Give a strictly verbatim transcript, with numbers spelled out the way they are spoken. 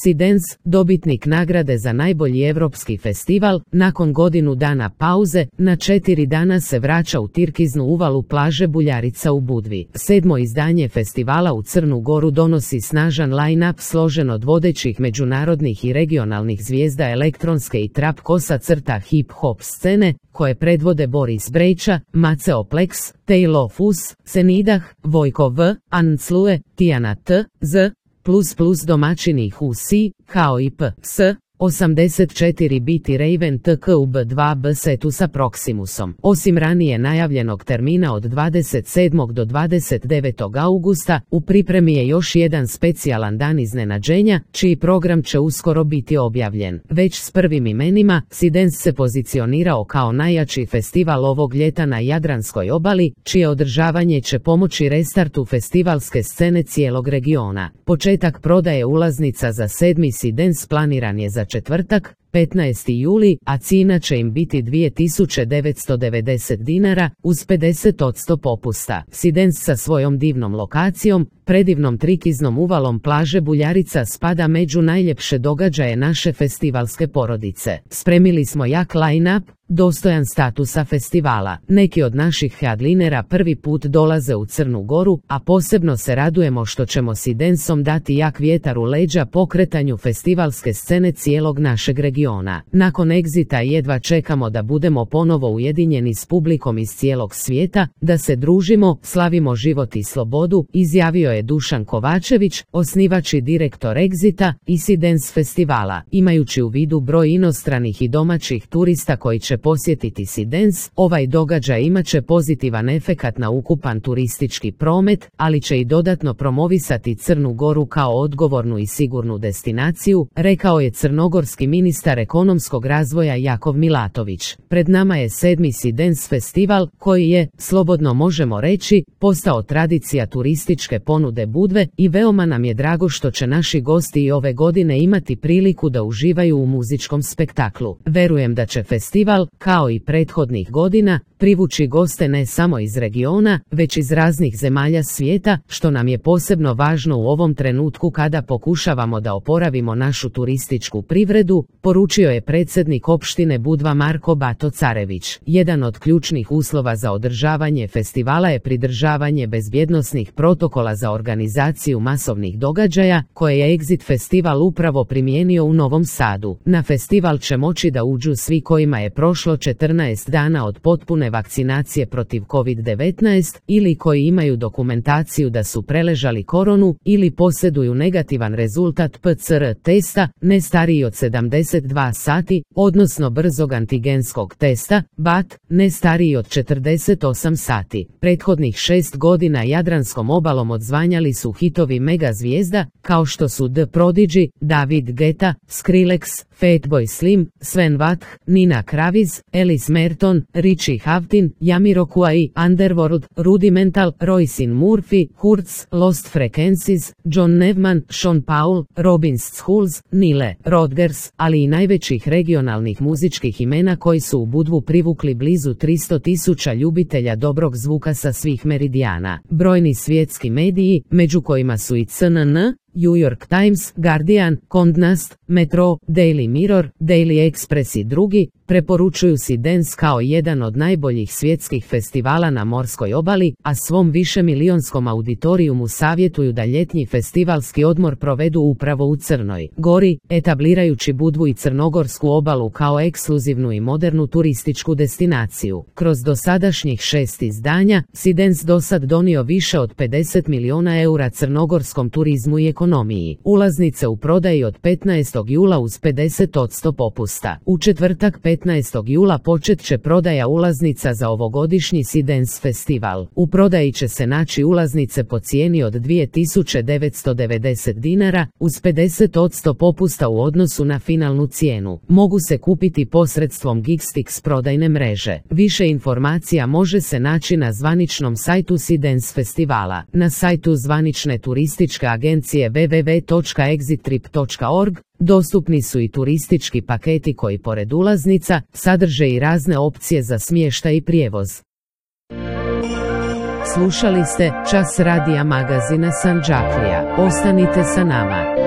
Sidens, dobitnik nagrade za najbolji europski festival, nakon godinu dana pauze, na četiri dana se vraća u Tirkiznu uvalu plaže Buljarica u Budvi. Sedmo izdanje festivala u Crnu Goru donosi snažan line-up složen od vodećih međunarodnih i regionalnih zvijezda elektronske i trap kosa crta hip-hop scene, koje predvode Boris Brejča, Maceo Plex, Taylor Fus, Senidah, Vojko V, Anclue, Tijana T, Z, plus plus domaćini H U S I, kao i P S osamdeset četiri biti Raven T K U B dva B setu sa Proximusom. Osim ranije najavljenog termina od dvadeset sedmog do dvadeset devetog augusta, u pripremi je još jedan specijalan dan iznenađenja, čiji program će uskoro biti objavljen. Već s prvim imenima, Sidens se pozicionirao kao najjači festival ovog ljeta na Jadranskoj obali, čije održavanje će pomoći restartu festivalske scene cijelog regiona. Početak prodaje ulaznica za sedmi Sidens planiran je za četvrtak, petnaesti juli, a cijena će im biti dvije tisuće devetsto devedeset dinara, uz pedeset posto popusta. Sidens sa svojom divnom lokacijom, predivnom trikiznom uvalom plaže Buljarica spada među najljepše događaje naše festivalske porodice. Spremili smo jak line-up, dostojan statusa festivala. Neki od naših headlinera prvi put dolaze u Crnu Goru, a posebno se radujemo što ćemo Sidensom dati jak vjetar u leđa pokretanju festivalske scene cijelog našeg regiona. Nakon Exita jedva čekamo da budemo ponovo ujedinjeni s publikom iz cijelog svijeta, da se družimo, slavimo život i slobodu, izjavio je Dušan Kovačević, osnivač i direktor Exita i Sidens festivala. Imajući u vidu broj inostranih i domaćih turista koji će posjetiti Sidens, ovaj događaj imaće pozitivan efekat na ukupan turistički promet, ali će i dodatno promovisati Crnu Goru kao odgovornu i sigurnu destinaciju, rekao je crnogorski ministar ekonomskog razvoja Jakov Milatović. Pred nama je sedmi Sidens festival, koji je, slobodno možemo reći, postao tradicija turističke ponude Budve i veoma nam je drago što će naši gosti i ove godine imati priliku da uživaju u muzičkom spektaklu. Verujem da će festival, kao i prethodnih godina, privući goste ne samo iz regiona, već iz raznih zemalja svijeta, što nam je posebno važno u ovom trenutku kada pokušavamo da oporavimo našu turističku privredu, poručio je predsjednik opštine Budva Marko Bato Carević. Jedan od ključnih uslova za održavanje festivala je pridržavanje bezbjednosnih protokola za organizaciju masovnih događaja, koje je Exit festival upravo primijenio u Novom Sadu. Na festival će moći da uđu svi kojima je prošlo četrnaest dana od potpune vakcinacije protiv kovid devetnaest ili koji imaju dokumentaciju da su preležali koronu ili posjeduju negativan rezultat P C R testa, ne stariji od sedamdeset dva sati, odnosno brzog antigenskog testa, B A T, ne stariji od četrdeset osam sati. Prethodnih šest godina Jadranskom obalom odzvanjali su hitovi mega zvijezda, kao što su The Prodigy, David Guetta, Skrillex, Fatboy Slim, Sven Vath, Nina Kraviz, Ellis Merton, Richie Hawtin, Jamiroquai, Underworld, Rudimental, Roisin Murphy, Hurts, Lost Frequencies, John Nevman, Sean Paul, Robin Schulz, Nile Rodgers, ali i najvećih regionalnih muzičkih imena koji su u Budvu privukli blizu tristo tisuća ljubitelja dobrog zvuka sa svih meridijana. Brojni svjetski mediji, među kojima su i C N N, New York Times, Guardian, Condé Nast, Metro, Daily Mirror, Daily Express i drugi, preporučuju Sidens kao jedan od najboljih svjetskih festivala na morskoj obali, a svom višemilijonskom auditorijumu savjetuju da ljetnji festivalski odmor provedu upravo u Crnoj Gori, etablirajući Budvu i crnogorsku obalu kao ekskluzivnu i modernu turističku destinaciju. Kroz dosadašnjih šest izdanja, Sidens dosad donio više od pedeset miliona eura crnogorskom turizmu i ekonomiji. Ulaznice u prodaji od petnaestog jula uz pedeset posto popusta. U četvrtak petnaestog jula počet će prodaja ulaznica za ovogodišnji Sidens festival. U prodaji će se naći ulaznice po cijeni od dvije tisuće devetsto devedeset dinara, uz pedeset posto popusta u odnosu na finalnu cijenu. Mogu se kupiti posredstvom Geekstix prodajne mreže. Više informacija može se naći na zvaničnom sajtu Sidens festivala. Na sajtu zvanične turističke agencije w w w točka exit trip točka org dostupni su i turistički paketi koji pored ulaznica sadrže i razne opcije za smještaj i prijevoz. Slušali ste Čas radija magazina Sandžaklija. Ostanite sa nama.